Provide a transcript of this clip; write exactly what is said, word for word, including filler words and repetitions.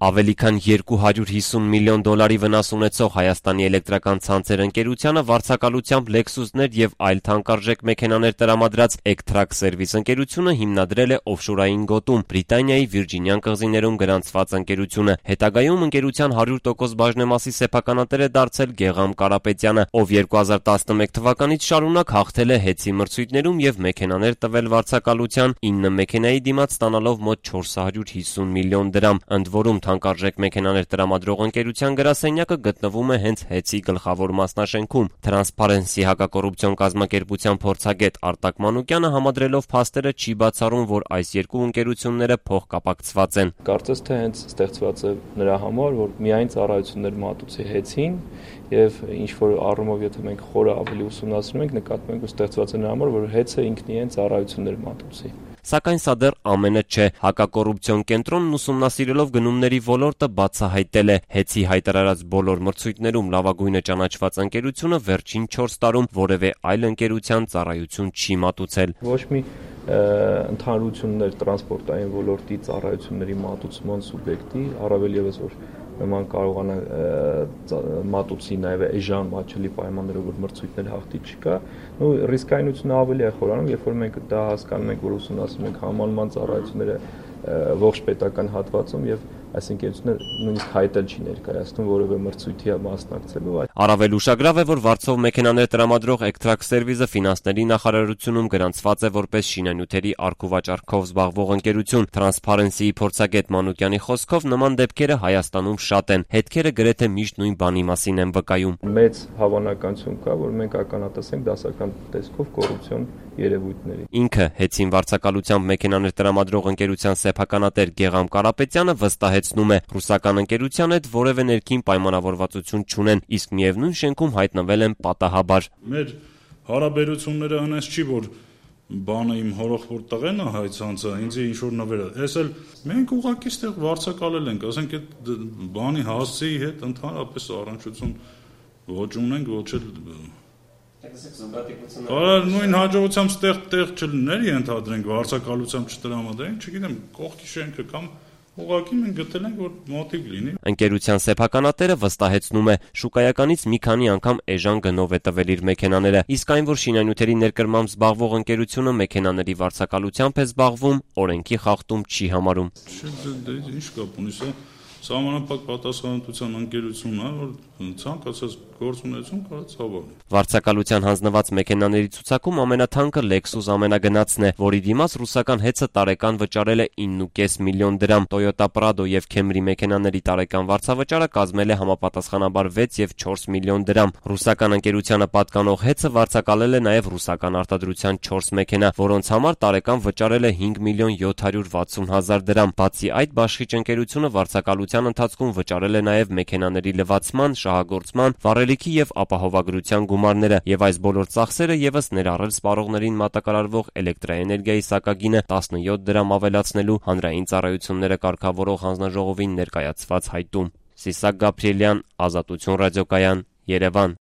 Ավելի քան երկու հարյուր հիսուն միլիոն դոլարի վնաս ունեցող Հայաստանի էլեկտրական ցանցեր ընկերությանը վարձակալությամբ Lexus-ներ եւ այլ թանկարժեք մեքենաներ տրամադրած Ectrac Service ընկերությունը հիմնադրել է օֆշորային գոտում Բրիտանիայի Վիրջինյան կղզիներում գրանցված ընկերությունը։ Հետագայում ընկերության հարյուր տոկոս բաժնեմասի սեփականատեր է դարձել Գեգամ Կարապետյանը, ով երկու հազար տասնմեկ թվականից շարունակ հաղթել է հեծի մրցույթներում եւ մեքենաներ տվել վարձակալության ինը մեքենայի դիմաց ստանալով մոտ չորս հարյուր հիսուն միլիոն դրամ, ընդ որում թանկարժեք մեքենաներ տրամադրող ընկերության գրասենյակը գտնվում է հենց հեծի գլխավոր մասնաշենքում։ Transparency հակակոռուպցիոն կազմակերպության փորձագետ Արտակ Մանուկյանը համադրելով փաստերը չի բացառում, որ այս երկու ընկերությունները փոխկապակցված են։ Կարծես թե հենց ստեղծված է նրա համար, որ միայն ծառայություններ մատուցի հեծին եւ ինչ որ առումով եթե մենք խորը ավելի ուսումնասիրում ենք, նկատում ենք, որ ստեղծված է նրա համար, որ հեծը ինքն իրեն ծառայություններ մատուցի։ Սակայն սա դեռ ամենը չէ։ Հակակոռուպցիոն կենտրոնն ուսումնասիրելով գնումների ոլորտը բացահայտել է հեծի հայտարարած բոլոր մրցույթներում լավագույնը ճանաչված ընկերությունը վերջին չորս տարում որևէ այլ ընկերության ծառայություն չի մատուցել։ Ոչ մի ընդհանրություններ տրանսպորտային ոլորտի ծառայությունների մատուցման սուբյեկտի, առավել եւս որ նման կարողանա մատուցի նաև էժան մատչելի պայմաններով, որ մրցույթներ հաղթի չկա, ու ռիսկայնությունը ավելի է խորանում, երբ որ մենք դա հասկանում ենք, որ ուսումնասիրում ենք համալման ծառայությունները ողջ պետական հատվածում եւ այս ընկերությունը նույնիսկ հայտել չի ներկայացնում որևէ մրցույթի մասնակցելու։ Առավել ուշագրավ է, որ վարձով մեքենաներ տրամադրող Ectrac Service-ը ֆինանսների նախարարությունում գրանցված է որպես շինանյութերի առքուվաճառքով զբաղվող ընկերություն։ Transparency-ի փորձագետ Մանուկյանի խոսքով նման դեպքերը Հայաստանում շատ են։ Հետքերը գրեթե միշտ նույն բանի մասին են վկայում։ Մեծ հավանականություն կա, որ մենք ականատեսենք դասական տեսքով կոռուպցիոն երևույթների։ Ինքը հեծին վարձակալությամբ մեքենաներ տրամադրող ընկերության սեփականատեր Գեգամ Կարապետյանը վստահեցնում է, ռուսական ընկերության հետ որևէ ներքին պայմանավորվածություն չունեն, իսկ միևնույն շենքում հայտնվել են պատահաբար։ Մեր հարաբերությունները այնպես չի, որ բանը իմ հորոխորդ տղեն է հայ ցանցը, ինձ ինչ որ նվերը։ Էս էլ մենք ուղղակի ստեղ վարձակալել ենք, ասենք այդ բանի հասցեի հետ ընդհանրապես առնչություն ոչ ունենք, ոչ էլ Արար նույն հաջողությամբ ստեղ տեղ չլներ ենթադրենք վարձակալությամբ չտրամադրենք, չգիտեմ, կողքի շենքը կամ ուղղակի մենք գտել ենք, որ մոտիկ լինի։ Ընկերության սեփականատերը վստահեցնում է, շուկայականից մի քանի անգամ էժան գնով է տվել իր մեքենաները, իսկ այն, որ շինանյութերի ներկրմամբ զբաղվող ընկերությունը մեքենաների վարձակալությամբ է զբաղվում, օրենքի խախտում չի համարում։ Ինչ կապ ունի սա Սահմանափակ պատասխանատվության ընկերությունն է, որ ցանկացած գործունեություն կարող է ցավալի։ Վարձակալության հանձնված մեքենաների ցուցակում ամենաթանկը Lexus ամենագնացն է, որի դիմաց ռուսական հեծը տարեկան վճարել է ինը կես միլիոն դրամ։ Toyota Prado եւ Camry մեքենաների տարեկան վարձավճարը կազմել է համապատասխանաբար վեց եւ չորս միլիոն դրամ։ Ռուսական ընկերությանը պատկանող հեծը վարձակալել է նաեւ ռուսական արտադրության չորս մեքենա, որոնց համար տարեկան վճարել է հինգ միլիոն յոթ հարյուր վաթսուն հազար դրամ։ Բացի այդ, բաշխիչ ընկերությունը վարձակալության ընթացքում վճարել է նաև մեքենաների լվացման, շահագործման, վառելիքի եւ ապահովագրության գումարները, եւ այս բոլոր ծախսերը եւս ներառել սպառողներին մատակարարվող էլեկտրաէներգիայի սակագինը տասնյոթ դրամ ավելացնելու հանրային ծառայությունները կարգավորող հանձնաժողովին ներկայացված հայտում։ Սիսակ Գաբրիելյան, Ազատություն ռադիոկայան, Երևան։